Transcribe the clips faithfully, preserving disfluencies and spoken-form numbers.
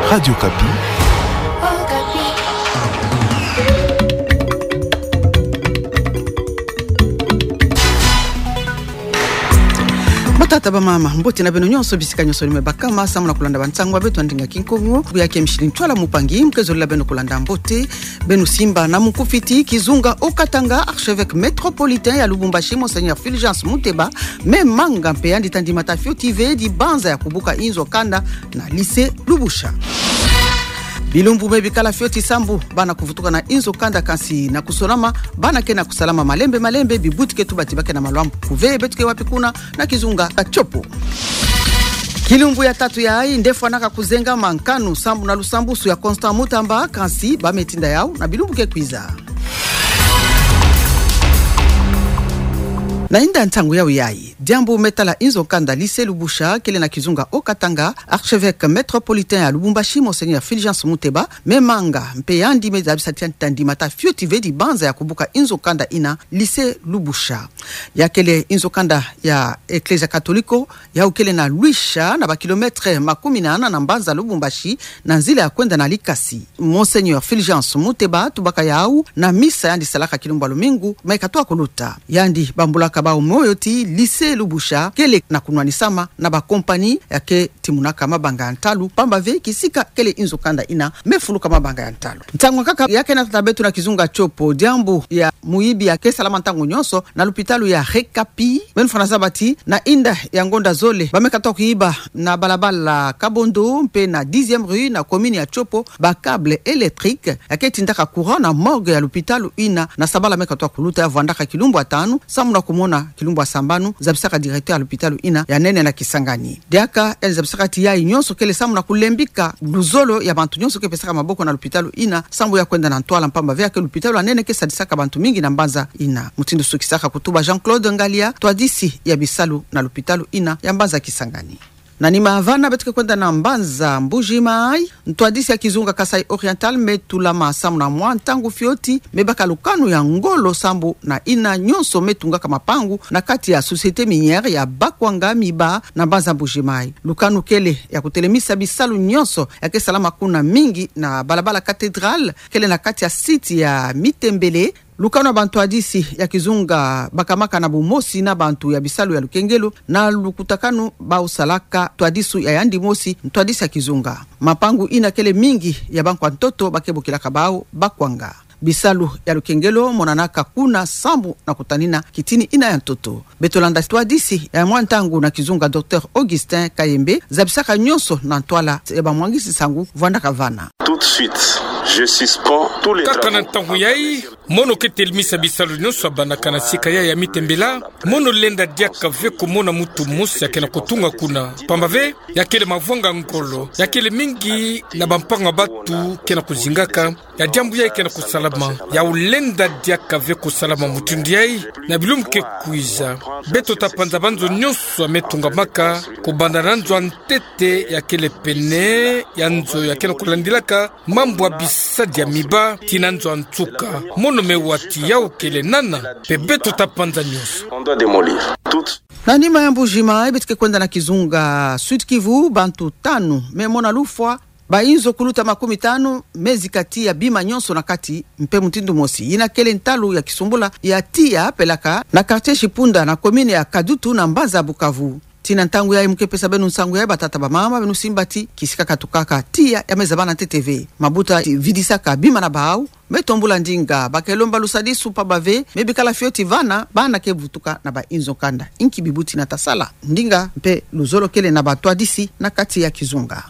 Radio Okapi. Batata, bamama, mbote na beno nyonso bisika nyonso ni me bakama, samu na kulanda bansangu ya beto ya ndinga Kikongo. Buya ke Micheline Ntwala Mupangi, mkezolila beno kulanda mbote. Beno simba na mukufiti, kizunga Haut-Katanga, archevêque métropolitain ya Lubumbashi, Monseigneur Fulgence Muteba, me manga mpe yandi ta ndimata fioti ve dibanza ya kubuka inzo kanda na lycée Lubusha. Bilumbu me bikala fioti sambu bana kuvutuka na inzo kanda, kansi na kusonama bana ke na kusalama malembe malembe, bibuti ke tubati ba ke na maluambu kuve. Beto ke wapi kuna na kizunga Tiopo. Kilumbu ya tatu yayi nde fwanaka kuzengama nkanu sambu na lusambusu ya Constant Mutamba, kansi ba me tinda yau na bilumbu ke kwiza. Na inda ntangu yau yayi, diambu me tala inzo kanda lycée Lubusha kele na kizunga Haut-Katanga, archevêque métropolitain ya Lubumbashi, Monseigneur Fulgence Muteba, me manga mpe yandi me zabisa ti yandi ta ndimata fioti ve dibanza ya kubuka inzo kanda ina, lycée Lubusha. Ya kele inzo kanda ya Eklezia Katoliko, yau kele na Luisha, na ba kilomètre makumi nana na mbanza Lubumbashi, na nzila ya kwenda na Likasi. Monseigneur Fulgence Muteba tubaka yau na misa yandi salaka kilumbu ya lumingu me katoa kuluta. Yandi bambulaka bau moyo ti lycée Lubusha kele na kunwanisama na ba compagnie ya ke timunaka mabanga ya ntalu, pamba ve kisika kele inzo kanda ina me fuluka mabanga ya ntalu. Ntangu nkaka ya ke na tata beto na kizunga Tiopo, diambu ya muyibi ya ke salama ntangu nyonso na lupitalu ya Rekapi. Beno fwana zaba ti na inda ya ngonda zole, ba me katoa kuyiba na balabala Kabondo mpe na dixième rue na commune ya Tiopo ba câble électrique ya ke tindaka courant na morgue ya lupitalu ina, na sabala me katoa kuluta ya vwandaka kilumbu ya tanu, samu na kumona kilumbu ya sambanu, zabisaka directeur ya lupitalu ina ya nene na Kisangani. Diaka yandi zabisaka ti yayi nyonso kele samu na kulembika luzolo ya bantu nyonso ke pesaka maboko na lupitalu ina, sambu ya kwenda na ntwala, pamba ve ya ke lupitalu ya nene ke sadisaka bantu mingi na mbanza ina. Mutindu sukisaka kutuba Jean-Claude Ngalia, twadisi ya bisalu na lupitalu ina ya mbanza Kisangani. Na nima vana beto ke kwenda na mbanza Mbuji-Mayi, ntwadisi ya kizunga Kasaï Oriental me tulama samu na mwa ntangu fioti, me baka lukanu ya ngolo sambu na ina nyonso me tungaka mapangu na kati ya société minière ya Bakwanga Miba na mbanza Mbuji-Mayi. Lukanu kele ya kutelemisa bisalu nyonso ya ke salama kuna, mingi na balabala Cathédrale, kele na kati ya site ya Mitembele. Lukanu ya bantwadisi ya kizunga bakamaka na bumosi na bantu ya bisalu ya lukengelo, na lukutakanu bau salaka ntwadisu ya yandi mosi ntwadisi ya kizunga. Mapangu ina kele mingi ya bankwa ntoto ba ke bokilaka bau Bakwanga. Bisalu ya lukengelo monanaka kuna sambu na kutanina kitini ina ya ntoto. Beto landa ntwadisi ya mwa ntangu na kizunga Docteur Augustin Kayembe, zabisaka nyonso na ntwala ya bamwangisi nsangu vwandaka vana. Tout de suite, je suspends tous les travaux. Kaka na ntangu yayi, mono ke telemisa bisalu nyonso ya bandaka na sika yayi ya Mitembele. Mono lenda diaka ve kumona muntu mosi ya ke na kutunga kuna, pamba ve ya kele mavwanga ngolo, ya kele mingi na bampangu ya bantu ke na kuzingaka. Ya diambu yayi ke na kusalama, ya ulenda diaka ve kusalama mutindu yayi na bilumbu ke kwiza. Beto ta panza banzo nyonso ya me tungamaka, kubanda na nzo ya ntete ya kele pene ya nzo ya ke na kulandilaka mambu ya bisadi ya Miba tii na nzo ya nsuka. Mono me wa ti yau kele nana, mpe beto ta panza nyonso. On doit démolir. Tout. Na nima ya Mbuji-Mayi, beto ke kwenda na kizunga Sud-Kivu, bantu tanu me mona lufwa, bainzo kuluta makumi tanu me zika tii ya bima nyonso na kati, mpe mutindu mosi. Ina kele ntalu ya kisumbula ya tiya pelaka na quartier Chipunda na commune ya Kadutu na mbanza Bukavu. Tii na ntangu yayi mu ke pesa beno nsangu yayi, batata, bamama, beno simba ti kisika katukaka tiya ya me zaba na ntete ve. Mabuta ti vidisaka bima na bau me tombula ndinga, ba ke lomba lusadisu pamba ve me bikala fioti vana bana ke vutuka na bainzo kanda. Inki bibuti na ta sala? Ndinga mpe luzolo kele na bantwadisi na kati ya kizunga.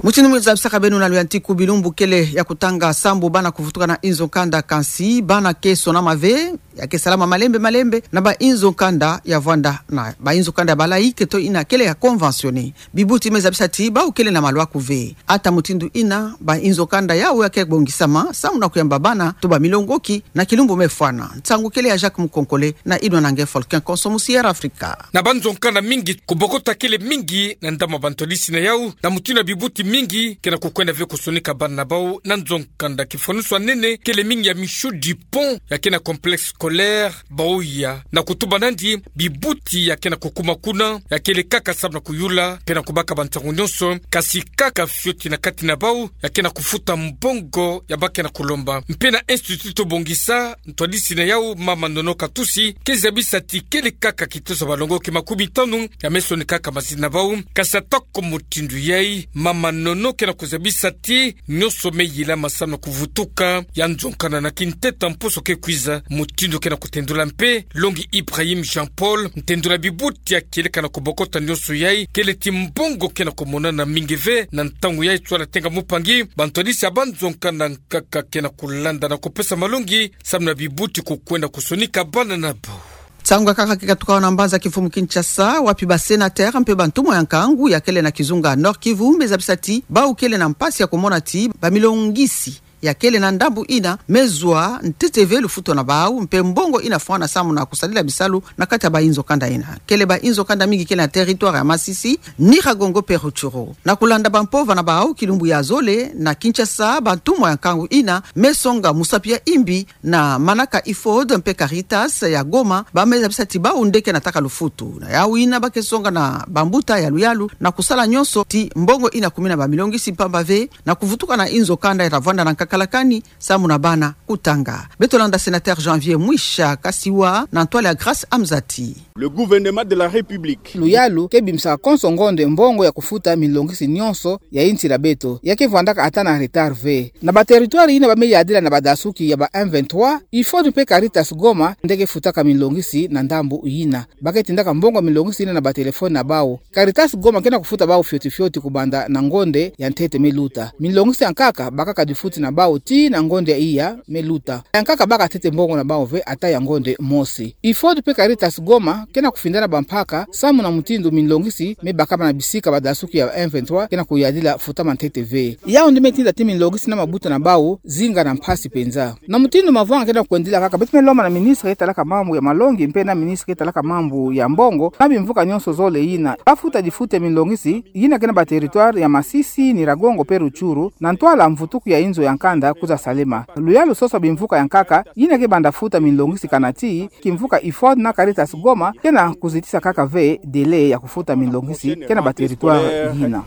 Mutindu mu zabisaka beno na luyantiku, bilumbu kele ya kutanga sambu bana kuvutuka na inzo kanda, kansi bana ke sonama ve, ya ke salama malembe malembe na bainzo kanda ya vwanda na bainzo kanda ya ba laïc to ina kele ya conventionné. Bibuti me zabisa ti bau kele na malwa kuve. Ata mutindu ina, bainzo kanda yau ya ke bongisama samu na kuyamba bana to bamilongoki na kilumbu me fwana. Nsangu kele ya Jacques Mukonkole na inwa na nge Folkin Konso Musier Afrika. Na banzo kanda mingi, kubokota kele mingi na ndambu ya bantwadisi na yau, na mutindu ya bibuti mingi ke na kukwenda ve kusonika bana na bau na nzo kanda. Kifwanusu ya nene kele mingi ya Michou Dupont ya ke na complexe scolaire, baoya na kutuba nandi bibuti ya ke na kukuma kuna, ya kele kaka samu na kuyula mpe na kubaka bantangu nyonso, kasi kaka fioti na kati na bau ya ke na kufuta mbongo ya ba ke na kulomba. Mpe na Institut Tobongisa, ntwadisi na yau, mama Nono Katusi, ke zabisa ti kele kaka kitosa balongoki makumi tanu ya me soni kaka mazina na bau, kasi ata ko mutindu yai, mama Nono ke na kuzabisa ti nyonso me yilama samu na kuvutuka, ya nzonkana na kinteta mposo ke kwiza, mutindu ke na kutendula mpe longi Ibrahim Jean-Paul, ntendula bibuti ya kieleka na kubokota nyonso yai, kele ti mbongo ke na kumonana mingi ve na ntangu yai, tsola tenga mupangi, bantwadisi ya banzonkana nkaka ke na kulanda na kupesa malongi samu na bibuti kukwenda kusonika bana na bau. Nsangu ya nkaka ke katuka awa na mbanza kimfumu Kinshasa, wapi ba sénateur mpe bantumwa ya nkangu ya kele na kizunga Nord-Kivu me zabisa ti bau kele na mpasi ya kumona ti bamilongisi ya kele na ndambu ina me zwa ntete ve lufutu na bau, mpe mbongo ina fwana samu na kusadila bisalu na kati ya bainzo kanda ina. Kele bainzo kanda mingi kele na territoire ya Masisi, Nyiragongo mpe Rutshuru. Na kulanda bampova na bau, kilumbu ya zole na Kinshasa, bantumwa ya nkangu ina me songa musapi ya imbi na manaka IFOD mpe Caritas ya Goma, ba me zabisa ti bau nde ke na taka lufutu. Na yau ina ba ke songa na bambuta ya luyalu na kusala nyonso ti mbongo ina kumina bamilongisi mpamba ve na kuvutuka na inzo kanda ya ta vwanda na nkaka lakani samu na bana kutanga. Beto landa sénateur Janvier Mwisha Kasiwa na ntwala ya Grace Amzati. Le gouvernement de la République. Luyalu ke bimisaka konso ngonde mbongo ya kufuta milongisi nyonso ya insi la beto, ya ke vwandaka ata na retard ve. Na ba territoire ina ba me yadila na badasuki ya ba M vingt-trois, IFOD mpe Caritas Goma nde ke futaka milongisi na ndambu ina. Ba ke tindaka mbongo milongisi ina na ba téléphone na bau. Caritas Goma ke na kufuta bau fioti fioti kubanda na ngonde ya ntete me luta. Milongisi ya nkaka bakaka difuti na bau tii na ngonde ya iya me luta. Ya nkaka baka ntete mbongo na bau ve ata ya ngonde mosi. IFOD mpe Caritas Goma ke na kufinda na bampaka samu na mutindu milongisi me bakama na bisika badasuki ya M vingt-trois ke na kuyadila futama ntete ve. Yau nde me tinda ti milongisi na mabuta na bau zinga na mpasi mpenza. Na mutindu mavanga ke na kwendila kaka, beto me lomba na ministre ke talaka mambu ya malongi mpe na ministre ke talaka mambu ya mbongo na bimvuka nyonso zole ina ba futa difuti ya milongisi ina ke na ba territoire ya Masisi, Nyiragongo mpe Rutshuru, na ntwala mvutuku ya inzo ya nkanda kwiza salema. Luyalu sosa bimvuka ya nkaka ina ke banda futa milongisi kana tii kimvuka IFOD na Caritas Goma ke na kuzitisa kaka ve délai ya kufuta milongisi ke na ba territoire ina.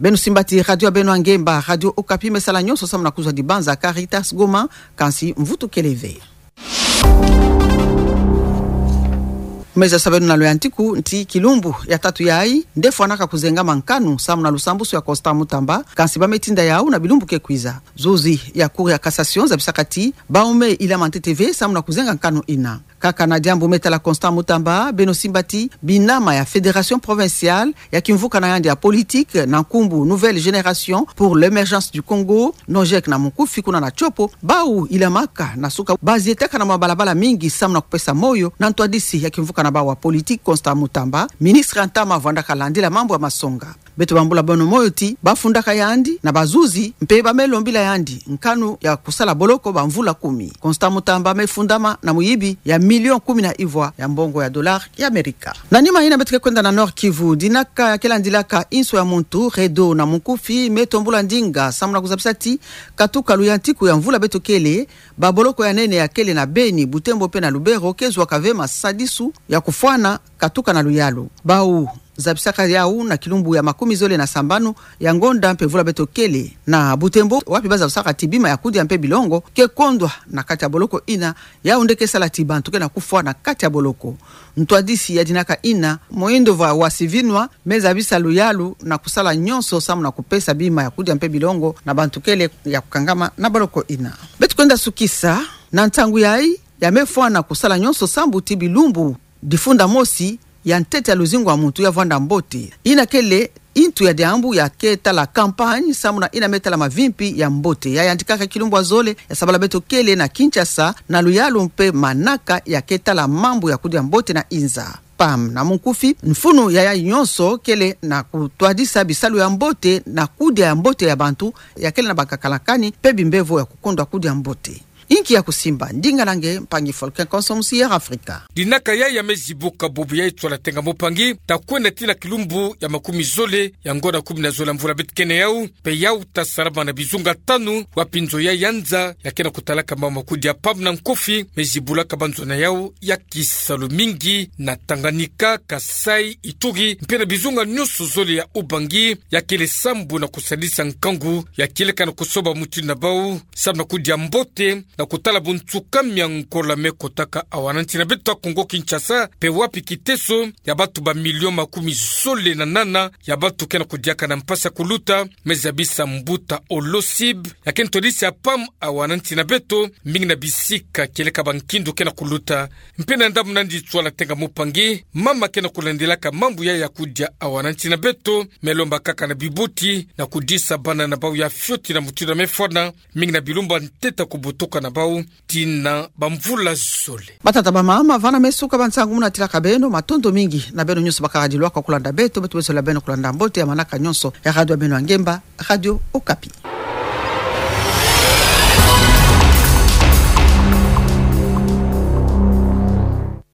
Beno simba ti radio ya beno ya ngemba, Radio Okapi, me sala nyonso samu na kuzwa dibanza Caritas Goma, kansi mvutu kele ve. Me zasa beno na loyantiku nti kilumbu ya tatu yai nde fwanaka kuzengama nkanu samu na lusambusu ya Constant Mutamba, kansi ba me tinda yau na bilumbu ke kwiza. Zuzi ya Cour ya Cassation zabisaka ti bau me ilama ntete ve samu na kuzenga nkanu ina. Kaka na diambu me tala Constant Mutamba, beno simba ti binama ya Fédération Provinciale ya kimvuka na yandi ya politique na nkumbu Nouvelle Génération pour l'Émergence du Congo, NOGEC na mukufi, kuna na Tshopo, bau ilamaka na suka bazietaka na mabalabala mingi samu na kupesa moyo na ntwadisi ya kimvuka na bau wa politique Constant Mutamba, ministre ya ntama vwandaka landila mambu ya masonga. Beto bambula beno moyo ti ba fundaka yandi na bazuzi mpe ba me lombila yandi nkanu ya kusala boloko bamvula kumi. Constant Mutamba me fundama na muyibi ya million kumi na ivwa ya mbongo ya dollar ya Amerika. Na nima ina beto ke kwenda na Nord-Kivu, dinaka ya ke landilaka inso ya muntu, REDO na mukufi, me tombula ndinga samu na kuzabisa ti katuka luyantiku ya mvula beto kele, baboloko ya nene ya kele na Beni, Butembo mpe na Lubero ke zwaka ve masadisu ya kufwana katuka na luyalu. Bau zabisaka yau na kilumbu ya makumi zole na sambanu ya ngonda mpe mvula beto kele na Butembo, wapi ba zabisaka ti bima ya kudia mpe bilongo ke kondwa na kati ya boloko ina, yau nde ke sala ti bantu ke na kufwa na kati ya boloko. Ntwadisi ya dinaka ina, Moindova Wasivinwa, me zabisa luyalu na kusala nyonso samu na kupesa bima ya kudia mpe bilongo na bantu kele ya kukangama na boloko ina. Beto kwenda sukisa na ntangu yai, ya me fwana kusala nyonso sambu ti bilumbu difunda mosi ya ntete ya luzingu ya muntu ya vwanda mbote. Ina kele intu ya diambu ya ke tala campagne samu na ina me tala mavimpi ya mbote. Ya yantikaka kilumbu ya zole ya sabala beto kele na Kinshasa na luyalu mpe manaka ya ke tala mambu ya kudia mbote na inza. PAM na mukufi, mfunu ya yai nyonso kele na kutwadisa bisalu ya mbote na kudia ya mbote ya bantu ya kele na bankaka lakani mpe bimbevo ya kukondwa kudia mbote. Inki ya kusimba ndinga na nge mpangi Volcan Consommation ya Afrika. Dinaka ya ya mezi buka bubu ya itswala tenga mopangi, ta kwenda tii na kilumbu ya makumi zole ya ngonda kumi na zole ya mvula beto kena yau, mpe yau ta salama na bizunga tanu, wapi nzo ya ya nza ya kena kutalaka mambu makudia pam na nkofi, mezi bulaka banzo na yau ya kisalu mingi na Tanganyika, Kasaï, Ituri, mpe na bizunga nyonso zole ya Ubangi, ya kele sambu na kusadisa nkangu, ya kieleka na kusoba mutindu na bau, sambu na kudia mbote, na kutala bunsuka miangola me kotaka awa na nsi na beto Kongo Kinshasa, mpe wapi kiteso ya bantu ba milion makumi zole na nana ya bantu kena kudiaka na mpasi ya kuluta, me zabisa mbuta Olosib, ya kena twadisi ya pam awa na nsi na beto, mingi na bisika kieleka bankindu kena kuluta. Mpe na ndambu nandi itswala tenga mopangi, mama kena kulandilaka mambu ya ya kudia awa na nsi na beto, me lomba kaka na bibuti, na kudisa bana na bau ya fioti na mutindu ya me fwana, mingi na bilumbu ya ntete ya kubutuka na bau, tii na bamvula zole. Batata bamama, vana me suka ba nsangu mu natilaka beno, matondo mingi na beno nyonso bakala dilwaka kulanda beto, beto besola beno kulanda mbote ya manaka nyonso ya radio ya beno ya ngemba, Radio Okapi.